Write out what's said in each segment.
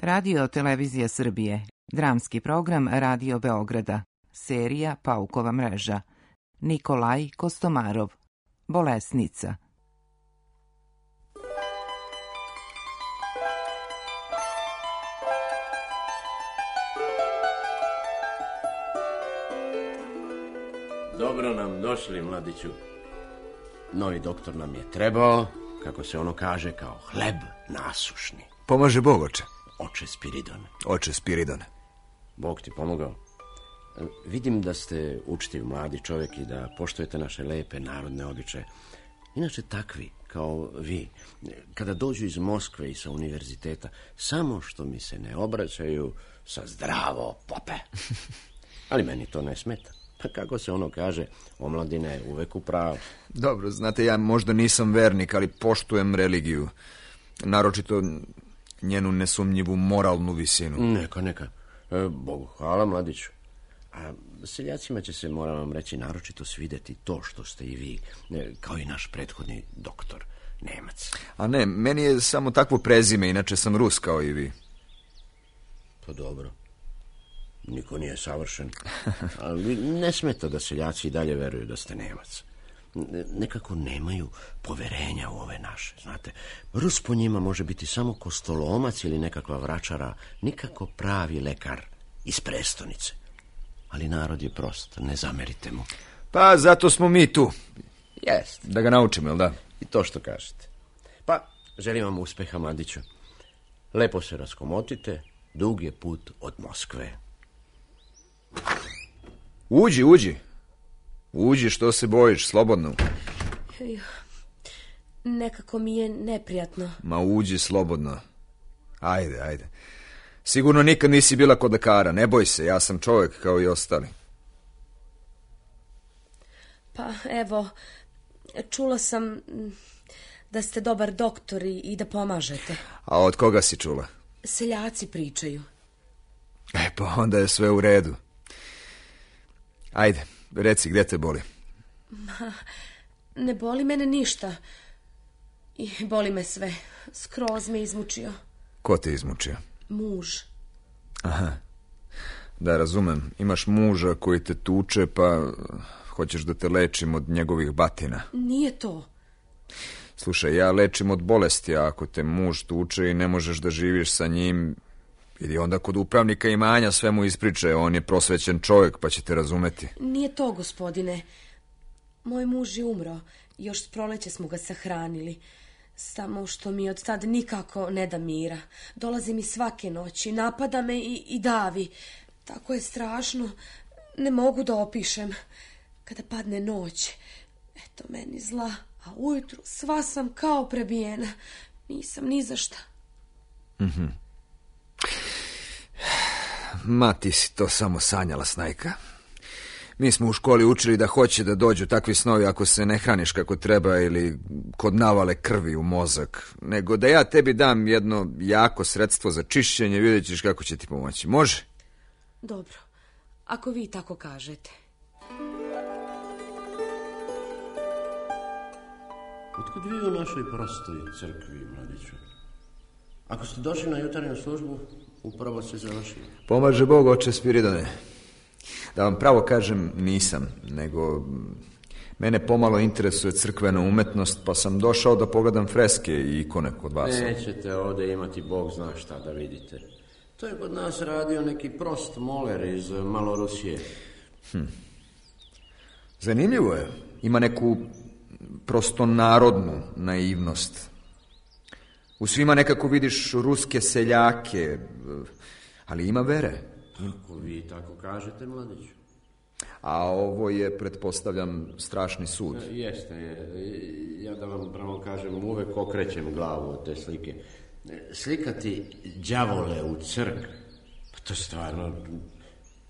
Radio Televizija Srbije, dramski program Radio Beograda, serija Paukova mreža, Nikolaj Kostomarov, Bolesnica. Dobro nam došli, mladiću. Novi doktor nam je trebao, kako se ono kaže, kao hleb nasušni. Pomaže Bog, oče. Oče Spiridone. Oče Spiridone. Bog ti pomogao. Vidim da ste učtiv mladi čovjek i da poštujete naše lepe narodne običaje. Inače takvi, kao vi, kada dođu iz Moskve i sa univerziteta, samo što mi se ne obraćaju sa zdravo pope. Ali meni to ne smeta. Kako se ono kaže, omladina je uvek u pravu. Dobro, znate, ja možda nisam vernik, ali poštujem religiju. Naročito njenu nesumnjivu moralnu visinu. Neka. Bogu hvala, mladiću. A seljacima će se, moram vam reći, naročito svidjeti to što ste i vi, kao i naš prethodni doktor, Nemac. A ne, meni je samo takvo prezime, inače sam Rus kao i vi. Pa dobro. Niko nije savršen, ali ne smeta da seljaci i dalje veruju da ste Nemac. Nekako nemaju poverenja u ove naše, znate. Rus po njima može biti samo kostolomac ili nekakva vračara, nikako pravi lekar iz prestonice. Ali narod je prost, ne zamerite mu. Pa zato smo mi tu. Jest. Da ga naučimo, jel da? I to što kažete. Pa, želim vam uspeha, mladiću. Lepo se raskomotite, dug je put od Moskve. Uđi. Uđi, što se bojiš, slobodno. Nekako mi je neprijatno. Ma uđi slobodno. Ajde. Sigurno nikad nisi bila kod lekara, ne boj se, ja sam čovjek kao i ostali. Pa evo, čula sam da ste dobar doktor i da pomažete. A od koga si čula? Seljaci pričaju. Pa onda je sve u redu. Ajde, reci, gdje te boli? Ne boli mene ništa. I boli me sve. Skroz me izmučio. Ko te izmučio? Muž. Aha. Da, razumem. Imaš muža koji te tuče, pa hoćeš da te lečim od njegovih batina. Nije to. Slušaj, ja lečim od bolesti, a ako te muž tuče i ne možeš da živiš sa njim, idi onda kod upravnika imanja, sve mu ispričaj, on je prosvećen čovjek, pa će te razumeti. Nije to, gospodine. Moj muž je umro, još s proleće smo ga sahranili. Samo što mi od tad nikako ne da mira. Dolazi mi svake noći, napada me i davi. Tako je strašno, ne mogu da opišem. Kada padne noć, eto meni zla, a ujutru sva sam kao prebijena. Nisam ni za šta. Ma, ti si to samo sanjala, snajka. Mi smo u školi učili da hoće da dođu takvi snovi ako se ne hraniš kako treba ili kod navale krvi u mozak. Nego da ja tebi dam jedno jako sredstvo za čišćenje, vidjet ćeš kako će ti pomoći. Može? Dobro, ako vi tako kažete. Otkud vi u našoj prostoj crkvi, mladiću? Ako ste došli na jutarnju službu, upravo se završili. Pomaže Bog, oče Spiridone. Da vam pravo kažem, nisam, nego mene pomalo interesuje crkvena umetnost, pa sam došao da pogledam freske i ikone kod vas. Nećete ovdje imati Bog zna šta da vidite. To je kod nas radio neki prost moler iz Malorusije. Zanimljivo je. Ima neku prostonarodnu naivnost. U svima nekako vidiš ruske seljake, ali ima vere. Ako vi tako kažete, mladiću. A ovo je, pretpostavljam, strašni sud. Jeste. Ja da vam pravo kažem, uvek okrećem glavu od te slike. Slikati đavole u crkvi, pa to stvarno,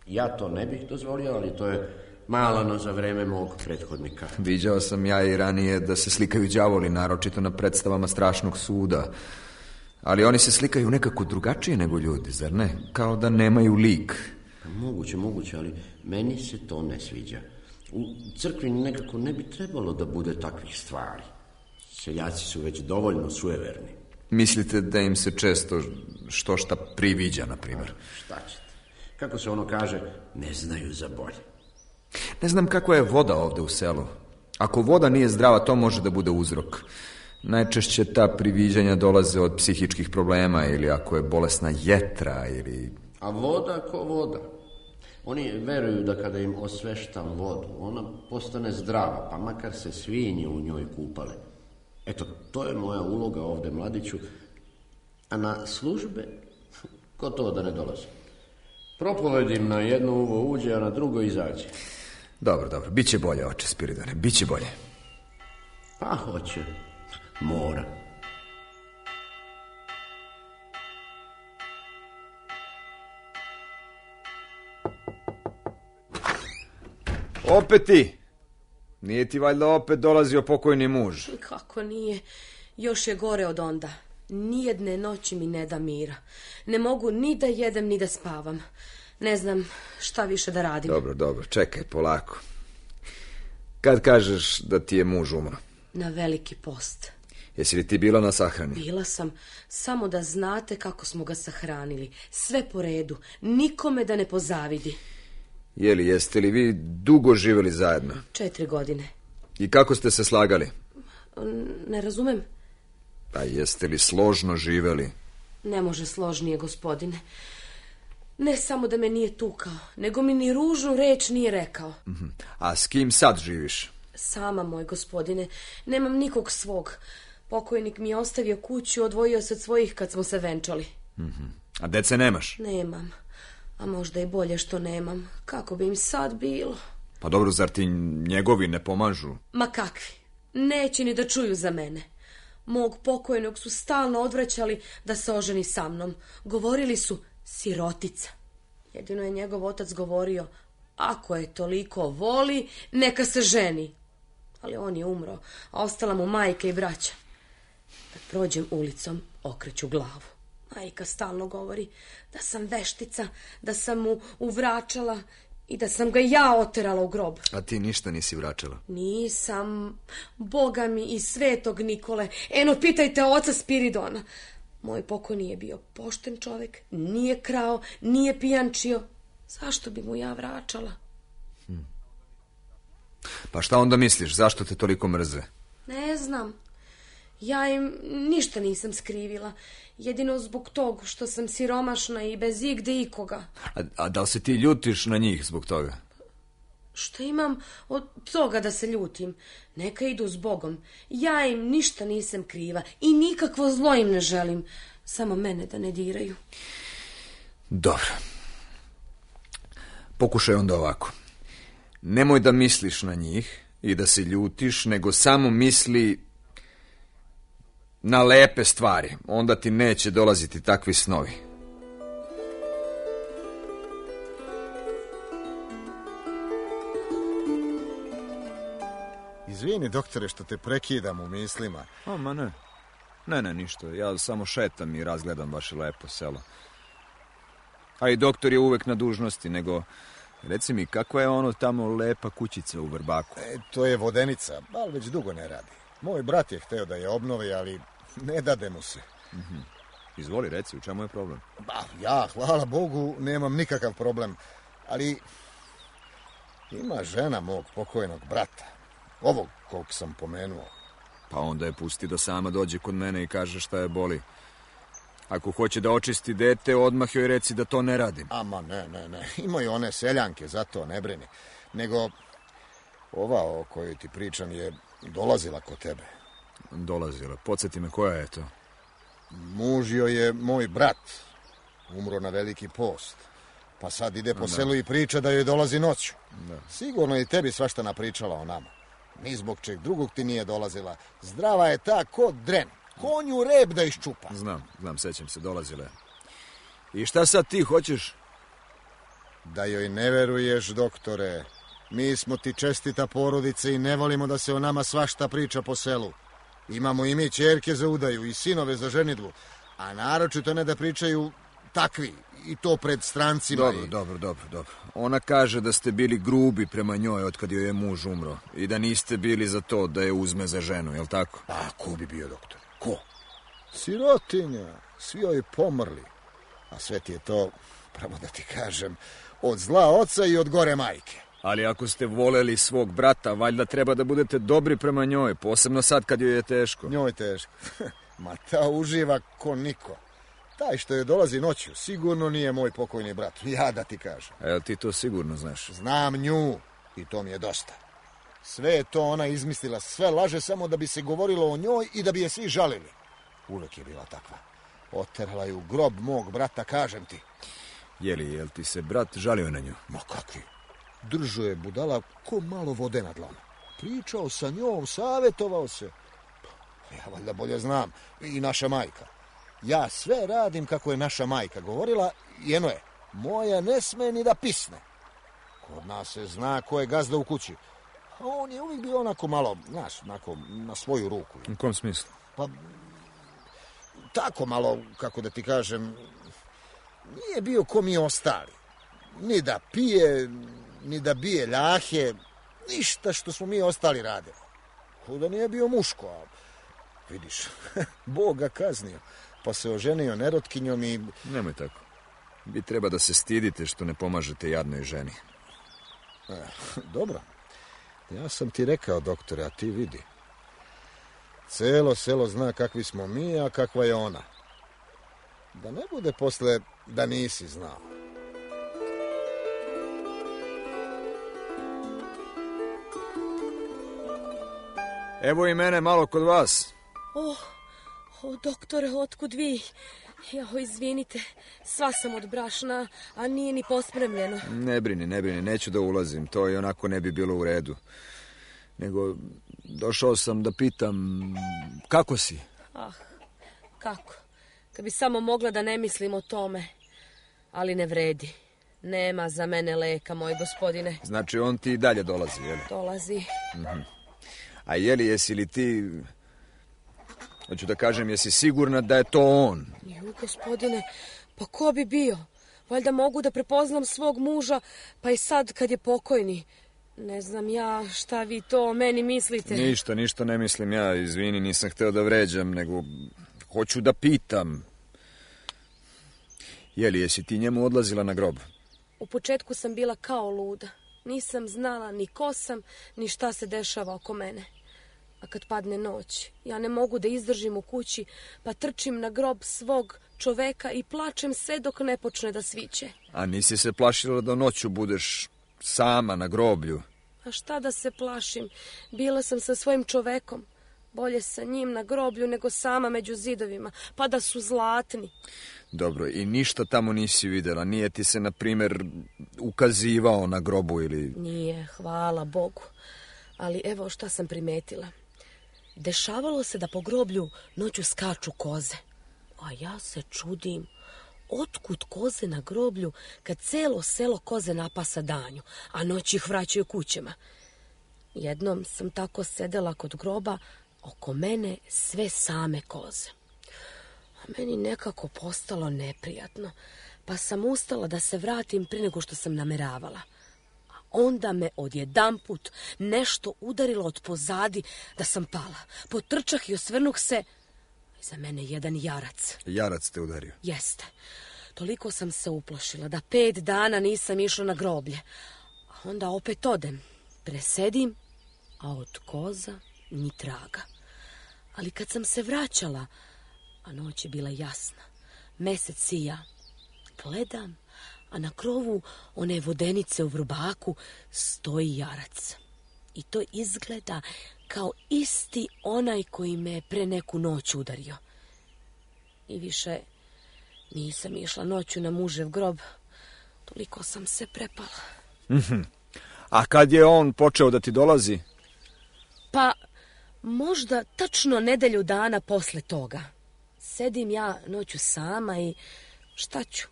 ja to ne bih dozvolio, ali to je malano za vreme mog prethodnika. Viđao sam ja i ranije da se slikaju đavoli, naročito na predstavama strašnog suda. Ali oni se slikaju nekako drugačije nego ljudi, zar ne? Kao da nemaju lik. Moguće, ali meni se to ne sviđa. U crkvi nekako ne bi trebalo da bude takvih stvari. Seljaci su već dovoljno sujeverni. Mislite da im se često što šta priviđa, na primjer? Šta ćete? Kako se ono kaže, ne znaju za bolje. Ne znam kakva je voda ovde u selu. Ako voda nije zdrava, to može da bude uzrok. Najčešće ta priviđanja dolaze od psihičkih problema ili ako je bolesna jetra ili... A voda ko voda. Oni veruju da kada im osveštam vodu, ona postane zdrava, pa makar se svinje u njoj kupale. Eto, to je moja uloga ovde, mladiću. A na službe, ko to da ne dolazi? Propovedim na jedno uvo uđe, a na drugo izađe. Dobro, biće bolje, oče Spiridone, biće bolje. Pa hoće, mora. Opet ti? Nije ti valjda opet dolazio pokojni muž? Kako nije? Još je gore od onda. Nijedne noći mi ne da mira. Ne mogu ni da jedem, ni da spavam. Ne znam šta više da radim. Dobro, čekaj, polako. Kad kažeš da ti je muž umro? Na Veliki post. Jesi li ti bila na sahrani? Bila sam, samo da znate kako smo ga sahranili. Sve po redu, nikome da ne pozavidi. Jeste li vi dugo živjeli zajedno? 4 godine. I kako ste se slagali? Ne razumem. Pa jeste li složno živjeli? Ne može složnije, gospodine. Ne samo da me nije tukao, nego mi ni ružnu reč nije rekao. A s kim sad živiš? Sama, moj gospodine. Nemam nikog svog. Pokojnik mi je ostavio kuću, odvojio se od svojih kad smo se venčali. A dece nemaš? Nemam. A možda i bolje što nemam. Kako bi im sad bilo? Pa dobro, zar ti njegovi ne pomažu? Ma kakvi. Neće ni da čuju za mene. Mog pokojnog su stalno odvraćali da se oženi sa mnom. Govorili su sirotica. Jedino je njegov otac govorio, ako je toliko voli, neka se ženi. Ali on je umro, a ostala mu majka i braća. Kad prođem ulicom, okreću glavu. Majka stalno govori da sam veštica, da sam mu uvračala i da sam ga ja oterala u grob. A ti ništa nisi vraćala? Nisam. Boga mi i svetog Nikole. Eno, pitajte oca Spiridona. Moj pokojni je bio pošten čovjek, nije krao, nije pijančio. Zašto bi mu ja vraćala? Pa šta onda misliš, zašto te toliko mrze? Ne znam. Ja im ništa nisam skrivila. Jedino zbog tog što sam siromašna i bez igde ikoga. A da li se ti ljutiš na njih zbog toga? Što imam od toga da se ljutim? Neka idu s Bogom. Ja im ništa nisam kriva i nikakvo zlo im ne želim. Samo mene da ne diraju. Dobro. Pokušaj onda ovako. Nemoj da misliš na njih i da se ljutiš, nego samo misli na lepe stvari. Onda ti neće dolaziti takvi snovi. Izvini, doktore, što te prekidam u mislima. Ma ne. Ne, ništa. Ja samo šetam i razgledam vaše lepo selo. A i doktor je uvek na dužnosti, nego... Reci mi, kakva je ono tamo lepa kućica u Vrbaku? To je vodenica, ali već dugo ne radi. Moj brat je hteo da je obnovi, ali ne dade mu se. Izvoli, reci, u čemu je problem? Ja, hvala Bogu, nemam nikakav problem. Ali ima žena mog pokojnog brata. Ovog kog sam pomenuo. Pa onda je pusti da sama dođe kod mene i kaže šta je boli. Ako hoće da očisti dete, odmah joj reci da to ne radim. Ama ne. Imaju one seljanke, zato ne brini. Nego ova o kojoj ti pričam je dolazila kod tebe. Dolazila? Podsjeti me, koja je to? Muž joj je moj brat. Umro na Veliki post. Pa sad ide po selu i priča da joj dolazi noću. Sigurno i tebi svašta napričala o nama. Ni zbog čeg drugog ti nije dolazila. Zdrava je ta ko dren. Konju rep da iščupa. Znam, sećam se, dolazile. I šta sad ti hoćeš? Da joj ne veruješ, doktore. Mi smo ti čestita porodica i ne volimo da se o nama svašta priča po selu. Imamo i mi ćerke za udaju i sinove za ženidbu, a naročito ne da pričaju takvi, i to pred strancima. Dobro. Ona kaže da ste bili grubi prema njoj od kad joj je muž umro i da niste bili za to da je uzme za ženu, jel tako? A ko bi bio, doktor? Ko? Sirotinja, svi joj pomrli. A sve ti je to, pravo da ti kažem, od zla oca i od gore majke. Ali ako ste voleli svog brata, valjda treba da budete dobri prema njoj, posebno sad kad joj je teško. Njoj je teško. Ma ta uživa ko niko. Taj što je dolazi noću, sigurno nije moj pokojni brat, ja da ti kažem. Evo ti to sigurno znaš. Znam nju i to mi je dosta. Sve je to ona izmislila, sve laže samo da bi se govorilo o njoj i da bi je svi žalili. Uvek je bila takva. Oterala je u grob mog brata, kažem ti. Jel ti se brat žalio na nju? Ma kakvi? Držao je budala ko malo vode na dlanu. Pričao sa njom, savjetovao se. Ja valjda bolje znam. I naša majka. Ja sve radim kako je naša majka govorila i eno je, moja ne sme ni da pisne. Kod nas se zna ko je gazda u kući. A on je uvijek bio onako malo, znaš, onako na svoju ruku. U kom smislu? Pa, tako malo, kako da ti kažem, nije bio ko mi ostali. Ni da pije, ni da bije ljahe, ništa što smo mi ostali radili. Kuda nije bio muško, a vidiš, Bog ga kaznio, pa se oženio nerotkinjom i... Nemoj tako. Vi treba da se stidite što ne pomažete jadnoj ženi. Dobro. Ja sam ti rekao, doktore, a ti vidi. Celo selo zna kakvi smo mi, a kakva je ona. Da ne bude posle da nisi znao. Evo i mene malo kod vas. Doktore, otkud vi? Izvinite, sva sam od brašna, a nije ni pospremljeno. Ne brini, neću da ulazim, to i onako ne bi bilo u redu. Nego, došao sam da pitam, kako si? Kako? Kad bi samo mogla da ne mislim o tome. Ali ne vredi. Nema za mene leka, moj gospodine. Znači, on ti i dalje dolazi, jel? Dolazi. A jesi li ti... Hoću da kažem, jesi sigurna da je to on? Gospodine, pa ko bi bio? Valjda mogu da prepoznam svog muža, pa i sad kad je pokojni. Ne znam ja šta vi to o meni mislite. Ništa ne mislim ja, izvini, nisam hteo da vređam, nego hoću da pitam. Jesi ti njemu odlazila na grob? U početku sam bila kao luda. Nisam znala ni ko sam, ni šta se dešava oko mene. A kad padne noć, ja ne mogu da izdržim u kući, pa trčim na grob svog čoveka i plačem sve dok ne počne da sviće. A nisi se plašila da noću budeš sama na groblju? A šta da se plašim? Bila sam sa svojim čovekom. Bolje sa njim na groblju nego sama među zidovima, pa da su zlatni. Dobro, i ništa tamo nisi videla? Nije ti se, na primjer, ukazivao na grobu ili... Nije, hvala Bogu. Ali evo šta sam primetila. Dešavalo se da po groblju noću skaču koze. A ja se čudim, otkud koze na groblju kad celo selo koze napasa danju, a noć ih vraćaju kućama. Jednom sam tako sedela kod groba, oko mene sve same koze. A meni nekako postalo neprijatno, pa sam ustala da se vratim prije nego što sam nameravala. Onda me odjedanput nešto udarilo od pozadi da sam pala. Potrčah i osvrnuh se. Za mene jedan jarac. Jarac te udario? Jeste. Toliko sam se uplašila da 5 dana nisam išla na groblje. A onda opet odem. Presedim, a od koza ni traga. Ali kad sam se vraćala, a noć je bila jasna, mesec sija, gledam, a na krovu one vodenice u Vrbaku stoji jarac. I to izgleda kao isti onaj koji me pre neku noć udario. I više nisam išla noću na mužev grob. Toliko sam se prepala. A kad je on počeo da ti dolazi? Pa, možda tačno nedelju dana posle toga. Sedim ja noću sama i šta ću?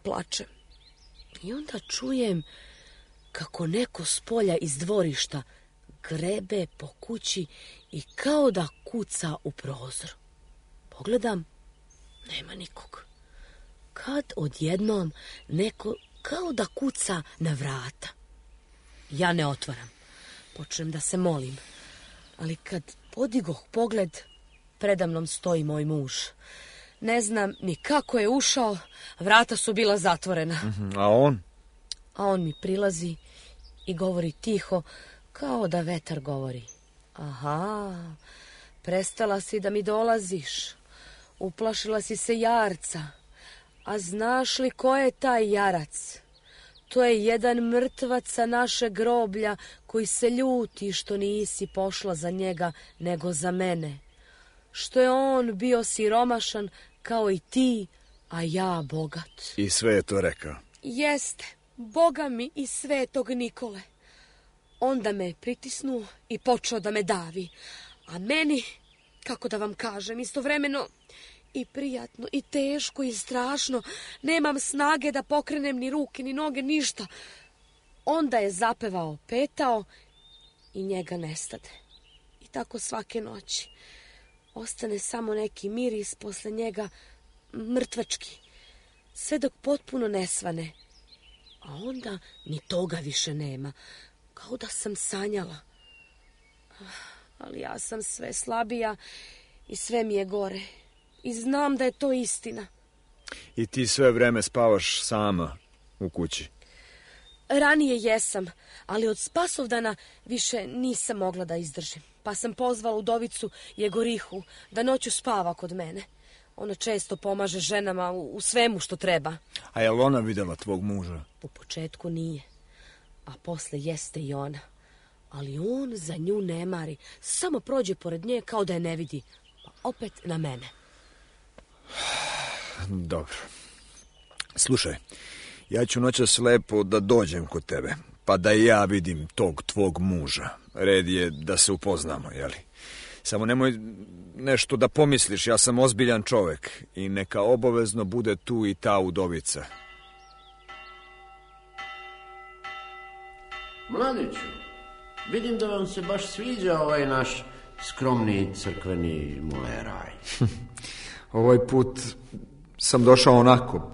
Plačem. I onda čujem kako neko s polja iz dvorišta grebe po kući i kao da kuca u prozor. Pogledam, nema nikog. Kad odjednom neko kao da kuca na vrata. Ja ne otvaram. Počnem da se molim. Ali kad podigoh pogled, predamnom stoji moj muž. Ne znam ni kako je ušao, vrata su bila zatvorena. A on? A on mi prilazi i govori tiho, kao da vetar govori. Aha, prestala si da mi dolaziš. Uplašila si se jarca. A znaš li ko je taj jarac? To je jedan mrtvac sa naše groblja koji se ljuti što nisi pošla za njega nego za mene. Što je on bio siromašan kao i ti, a ja bogat. I sve je to rekao? Jeste, Boga mi i Svetog Nikole. Onda me pritisnuo i počeo da me davi. A meni, kako da vam kažem, istovremeno i prijatno, i teško, i strašno. Nemam snage da pokrenem ni ruke, ni noge, ništa. Onda je zapevao, petao i njega nestade. I tako svake noći. Ostane samo neki miris posle njega, mrtvački. Sve dok potpuno nesvane. A onda ni toga više nema. Kao da sam sanjala. Ali ja sam sve slabija i sve mi je gore. I znam da je to istina. I ti sve vreme spavaš sama u kući? Ranije jesam, ali od Spasovdana više nisam mogla da izdržim. Pa sam pozvala udovicu Jegorihu da noću spava kod mene. Ona često pomaže ženama u svemu što treba. A je li ona videla tvog muža? U početku nije, a posle jeste i ona. Ali on za nju ne mari. Samo prođe pored nje kao da je ne vidi. Pa opet na mene. Dobro. Slušaj, ja ću noćas lepo da dođem kod tebe, pa da i ja vidim tog tvog muža. Red je da se upoznamo, jeli? Samo nemoj nešto da pomisliš, ja sam ozbiljan čovek i neka obavezno bude tu i ta udovica. Mladiću, vidim da vam se baš sviđa ovaj naš skromni crkveni muleraj. Ovaj put sam došao onako.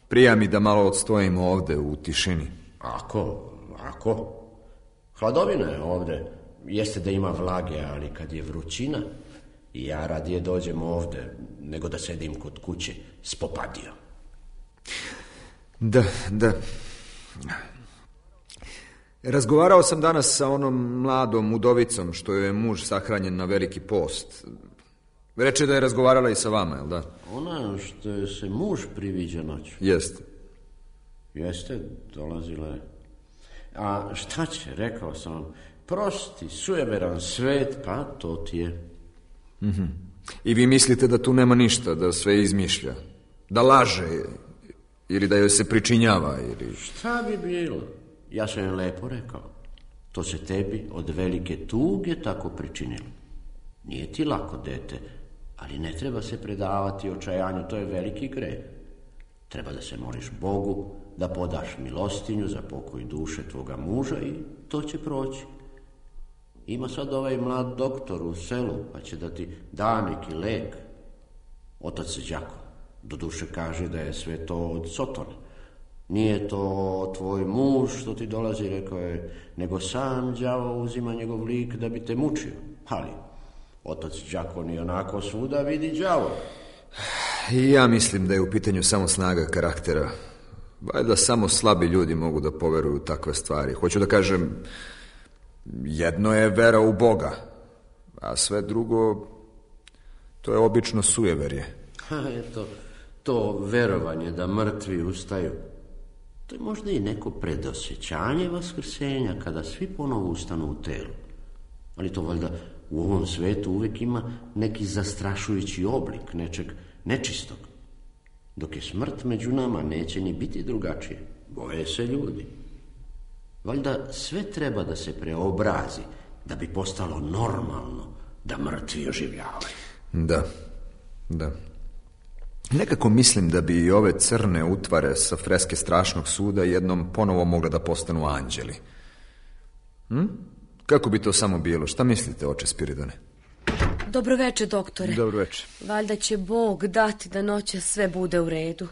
Prija mi da malo odstojimo ovde u tišini. Ako. Hladovina je ovde. Jeste da ima vlage, ali kad je vrućina, ja radije dođem ovde nego da sedim kod kuće s popadio. Da. Razgovarao sam danas sa onom mladom udovicom što je muž sahranjen na Veliki post. Reče da je razgovarala i sa vama, jel da? Ona što je se muž priviđa noću. Jeste, dolazila je. A šta će, rekao sam vam, prosti, sujeveran svet, pa to ti je. I vi mislite da tu nema ništa, da sve izmišlja, da laže, ili da joj se pričinjava, ili... Šta bi bilo? Ja sam joj lepo rekao. To se tebi od velike tuge tako pričinilo. Nije ti lako, dete, ali ne treba se predavati očajanju, to je veliki greh. Treba da se moliš Bogu, da podaš milostinju za pokoj duše tvoga muža i to će proći. Ima sad ovaj mlad doktor u selu, pa će da ti da neki lek. Otac Đako, doduše kaže da je sve to od Sotone. Nije to tvoj muž što ti dolazi, rekao je, nego sam đavo uzima njegov lik da bi te mučio. Ali otac Đakon i onako svuda vidi đavo. I ja mislim da je u pitanju samo snaga karaktera. Valjda samo slabi ljudi mogu da poveruju u takve stvari. Hoću da kažem, jedno je vera u Boga, a sve drugo, to je obično sujeverje. Eto, to verovanje da mrtvi ustaju, to je možda i neko predosjećanje vaskrsenja kada svi ponovo ustanu u telu. Ali to valjda u ovom svetu uvek ima neki zastrašujući oblik nečeg nečistog. Dok je smrt među nama, neće ni biti drugačije. Boje se ljudi. Valjda sve treba da se preobrazi, da bi postalo normalno da mrtvi oživljavaju. Da. Nekako mislim da bi i ove crne utvare sa freske strašnog suda jednom ponovo mogle da postanu anđeli. Kako bi to samo bilo? Šta mislite, oče Spiridone? Dobroveče, doktore. Dobroveče. Valjda će Bog dati da noćas sve bude u redu.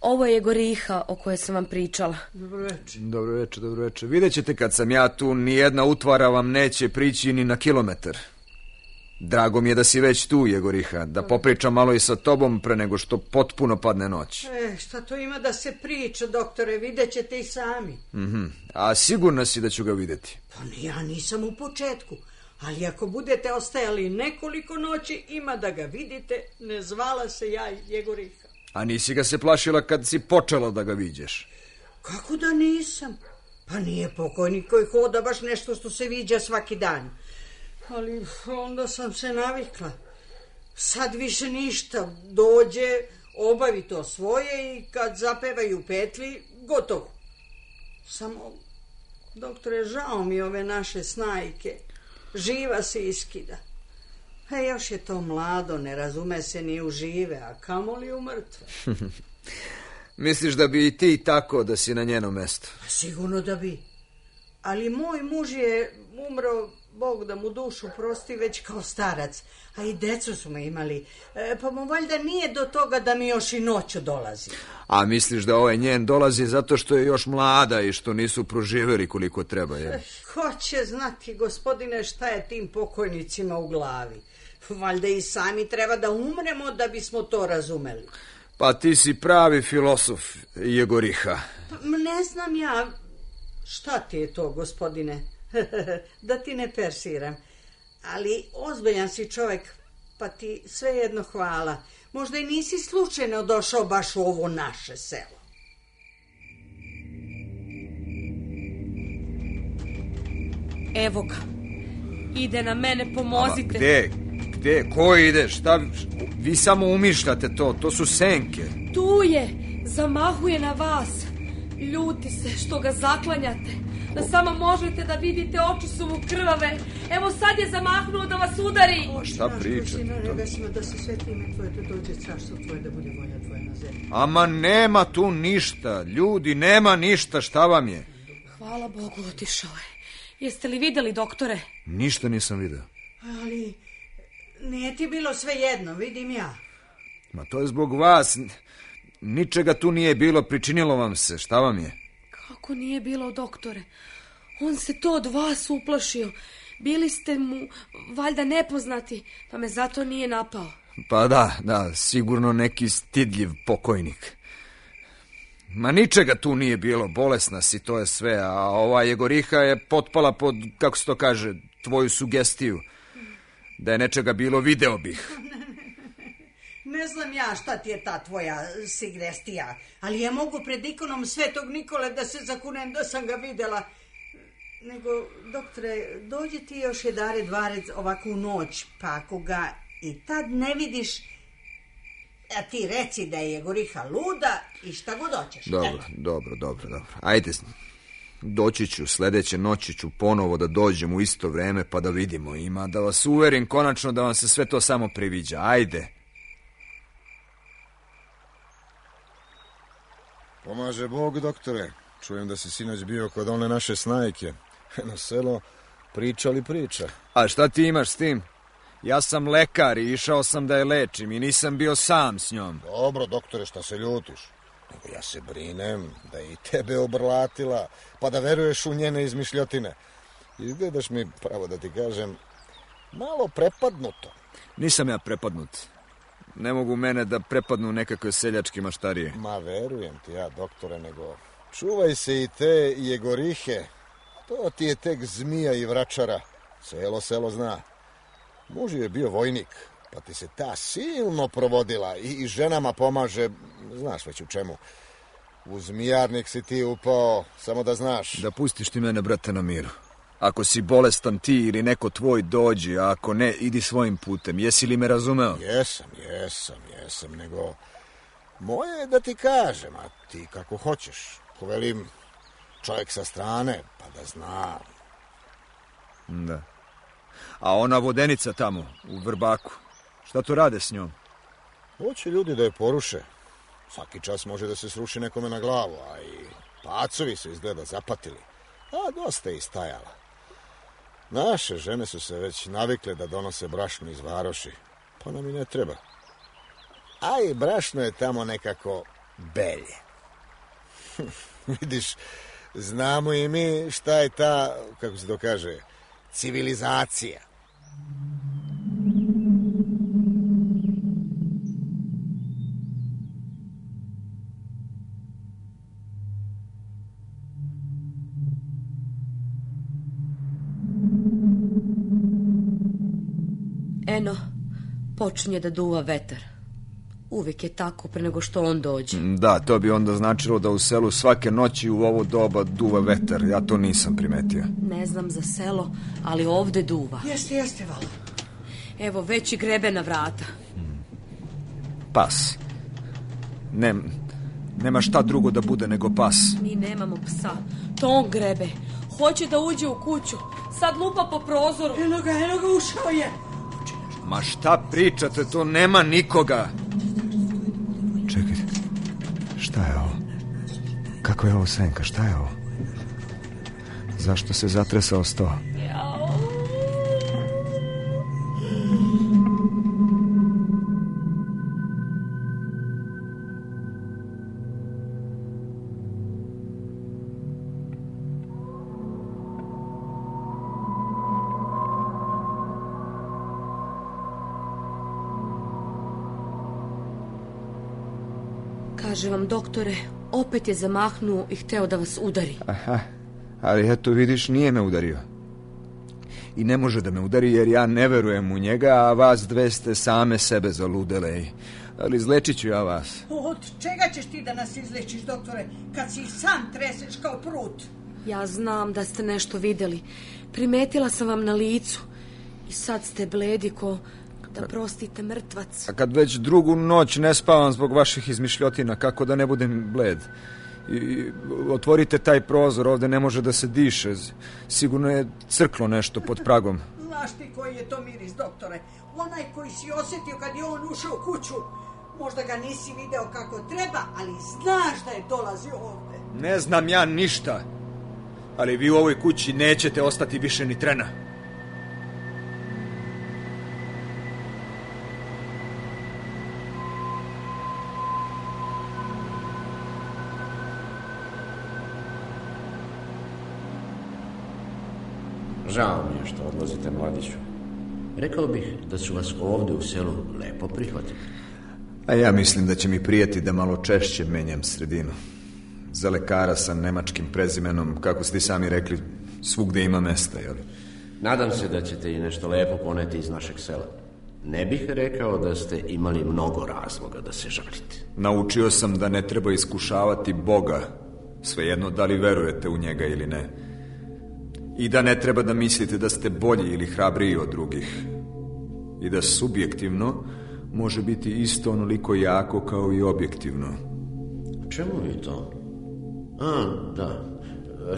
Ovo je Goriha o kojoj sam vam pričala. Dobroveče. Vidjet ćete kad sam ja tu, nijedna utvara vam neće prići ni na kilometar. Drago mi je da si već tu, Jegoriha, da popričam malo i sa tobom pre nego što potpuno padne noć. Šta to ima da se priča, doktore, vidjet ćete i sami. A sigurna si da ću ga vidjeti? Pa ja nisam u početku, ali ako budete ostajali nekoliko noći, ima da ga vidite, ne zvala se ja Jegoriha. A nisi ga se plašila kad si počela da ga viđeš? Kako da nisam? Pa nije pokojnik koji hoda baš nešto što se viđa svaki dan. Ali onda sam se navikla. Sad više ništa. Dođe, obavi to svoje i kad zapevaju petli, gotovo. Samo, doktore, žao mi ove naše snajke. Živa se iskida. Još je to mlado, ne razume se ni u žive, a kamoli u mrtve. Misliš da bi i ti tako da si na njenom mestu? Sigurno da bi. Ali moj muž je umro, Bog da mu dušu prosti, već kao starac. A i decu smo imali. Pa mu valjda nije do toga da mi još i noću dolazi. A misliš da ovaj njen dolazi zato što je još mlada i što nisu proživjeli koliko treba, je? Ko će znati, gospodine, šta je tim pokojnicima u glavi? Valjda i sami treba da umremo da bismo to razumeli. Pa ti si pravi filosof, Jegoriha. Ne znam ja. Šta ti je to, gospodine? Da ti ne persiram. Ali ozbiljan si čovjek, pa ti svejedno hvala. Možda i nisi slučajno došao baš u ovo naše selo. Evo ga. Ide na mene, pomozite. Gde? Ko ide? Šta? Vi samo umišljate to. To su senke. Tu je. Zamahuje na vas. Ljuti se što ga zaklanjate. Da samo možete da vidite, oči su mu krvave. Evo sad je zamahnuo da vas udari. Šta pričate? Da se sveti ime tvoje, da dođe carstvo tvoje, da bude volja tvoja na zemlji. Ama nema tu ništa. Ljudi, nema ništa. Šta vam je? Hvala Bogu, otišao je. Jeste li videli, doktore? Ništa nisam video. Ali nije ti bilo sve jedno, vidim ja. Ma to je zbog vas. Ničega tu nije bilo, pričinilo vam se. Šta vam je? Kako nije bilo, doktore? On se to od vas uplašio. Bili ste mu valjda nepoznati, pa me zato nije napao. Pa da, sigurno neki stidljiv pokojnik. Ma ničega tu nije bilo, bolesna si, to je sve, a ova Jegoriha je potpala pod, kako se to kaže, tvoju sugestiju. Da je nečega bilo, video bih. Ne znam ja šta ti je ta tvoja sugestija, ali ja mogu pred ikonom Svetog Nikole da se zakunem da sam ga videla. Nego, doktore, dođi ti još jedare dvarec ovakvu noć, pa ako ga i tad ne vidiš, a ti reci da je Jegoriha luda i šta god hoćeš. Dobro. Ajde, doći ću, sljedeće noći ću ponovo da dođem u isto vreme pa da vidimo. Ima da vas uverim konačno da vam se sve to samo priviđa. Ajde. Pomaže Bog, doktore. Čujem da si sinoć bio kod one naše snajke. Na selo priča. A šta ti imaš s tim? Ja sam lekar i išao sam da je lečim i nisam bio sam s njom. Dobro, doktore, šta se ljutiš? Nego ja se brinem da je i tebe obrlatila, pa da veruješ u njene izmišljotine. Izgledaš mi, pravo da ti kažem, malo prepadnuto. Nisam ja prepadnut. Ne mogu mene da prepadnu nekakve seljačke maštarije. Ma verujem ti ja, doktore, nego čuvaj se i te Jegorihe. To ti je tek zmija i vračara. Celo selo zna. Muž je bio vojnik, pa ti se ta silno provodila i ženama pomaže, znaš već u čemu. U zmijarnik si ti upao, samo da znaš. Da pustiš ti mene, brate, na miru. Ako si bolestan ti ili neko tvoj dođi, a ako ne, idi svojim putem. Jesi li me razumeo? Jesam, nego moje je da ti kažem, a ti kako hoćeš. Ko velim, čovjek sa strane, pa da zna. Da. A ona vodenica tamo, u Vrbaku, šta to rade s njom? Hoće ljudi da je poruše. Svaki čas može da se sruši nekome na glavu, a i pacovi su izgleda zapatili. A dosta je istajala. Naše žene su se već navikle da donose brašno iz varoši, pa nam i ne treba. A i brašno je tamo nekako belje. Vidiš, znamo i mi šta je ta, kako se to kaže, civilizacija. Eno, počinje da duva vetar. Uvijek je tako pre nego što on dođe. Da, to bi onda značilo da u selu svake noći u ovo doba duva vetar. Ja to nisam primetio. Ne znam za selo, ali ovde duva. Jeste, Vala. Evo, već i grebe na vrata. Pas. Nema šta drugo da bude nego pas. Mi nemamo psa. To on grebe. Hoće da uđe u kuću. Sad lupa po prozoru. Eno ga, ušao je. Ma šta pričate, to nema nikoga. Čekajte, šta je ovo? Kako je ovo senka, šta je ovo? Zašto se zatresao sto? Kaže vam, doktore, opet je zamahnuo i hteo da vas udari. Aha, ali eto vidiš, nije me udario. I ne može da me udari jer ja ne verujem u njega, a vas dve ste same sebe zaludele. Ali izlečit ću ja vas. Od čega ćeš ti da nas izlečiš, doktore, kad si sam treseš kao prut? Ja znam da ste nešto videli. Primetila sam vam na licu. I sad ste bledi ko... da prostite mrtvac. A kad već drugu noć ne spavam zbog vaših izmišljotina, kako da ne budem bled? I otvorite taj prozor, ovde ne može da se diše. Sigurno je crklo nešto pod pragom. Znaš ti koji je to miris, doktore? Onaj koji si osjetio kad je on ušao u kuću. Možda ga nisi video kako treba, ali znaš da je dolazio ovde. Ne znam ja ništa, ali vi u ovoj kući nećete ostati više ni trena. Žao mi je što odlazite, mladiću. Rekao bih da su vas ovde u selu lepo prihvatili. A ja mislim da će mi prijeti da malo češće menjam sredinu. Za lekara sa nemačkim prezimenom, kako ste sami rekli, svugde ima mesta, jel? Nadam se da ćete i nešto lepo poneti iz našeg sela. Ne bih rekao da ste imali mnogo razloga da se žalite. Naučio sam da ne treba iskušavati Boga, svejedno da li verujete u njega ili ne. I da ne treba da mislite da ste bolji ili hrabriji od drugih. I da subjektivno može biti isto onoliko jako kao i objektivno. Čemu je to? Da,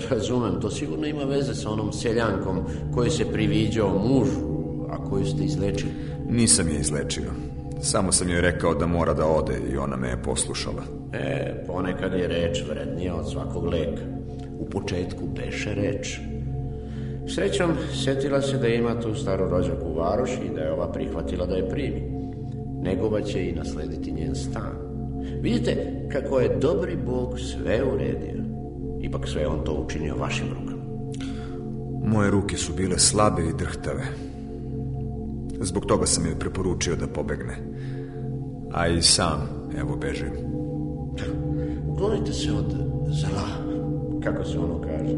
razumem, to sigurno ima veze sa onom seljankom koji se priviđao mužu, a koju ste izlečili. Nisam je izlečio. Samo sam joj rekao da mora da ode i ona me je poslušala. Ponekad je reč vrednija od svakog leka. U početku beše reč. Srećom, sjetila se da ima tu staru rođaku u varoši i da je ova prihvatila da je primi. Negova će i naslediti njen stan. Vidite kako je dobri Bog sve uredio. Ipak sve on to učinio vašim rukama. Moje ruke su bile slabe i drhtave. Zbog toga sam joj preporučio da pobegne. A i sam, evo, bežim. Uklonite se od zla, kako se ono kaže.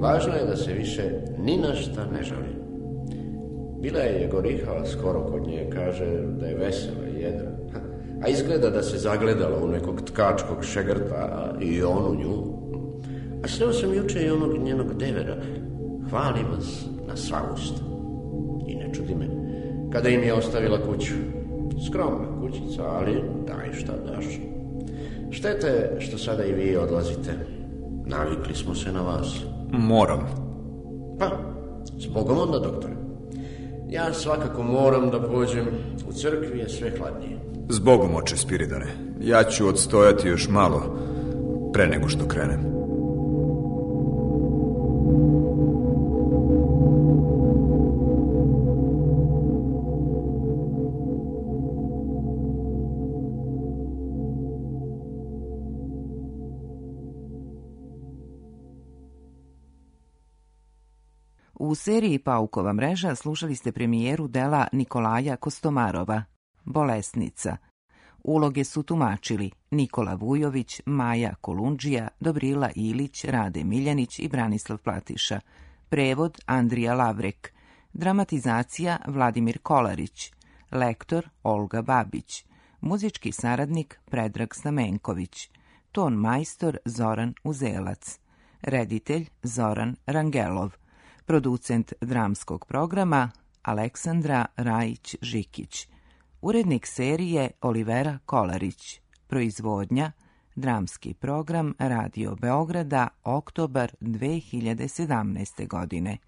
Važno je da se više ni na šta ne žali. Bila je Jegoriha skoro kod nje, kaže da je vesela i jedra. A izgleda da se zagledala u nekog tkačkog šegrta i on u nju. A sreo sam juče i onog njenog devera. Hvali vas na sva usta. I ne čudi me, kada im je ostavila kuću. Skromna kućica, ali daj šta daš. Šteta je što sada i vi odlazite. Navikli smo se na vas. Moram. Pa, zbogom onda, doktore. Ja svakako moram da pođem. U crkvi je sve hladnije. Zbogom, oče Spiridone. Ja ću odstojati još malo pre nego što krenem. U seriji Paukova mreža slušali ste premijeru dela Nikolaja Kostomarova, Bolesnica. Uloge su tumačili Nikola Vujović, Maja Kolundžija, Dobrila Ilić, Rade Miljanić i Branislav Platiša. Prevod Andrija Lavrek. Dramatizacija Vladimir Kolarić. Lektor Olga Babić. Muzički saradnik Predrag Stamenković. Ton majstor Zoran Uzelac. Reditelj Zoran Rangelov. Producent dramskog programa Aleksandra Rajić-Žikić. Urednik serije Olivera Kolarić. Proizvodnja Dramski program Radio Beograda, oktobar 2017. godine.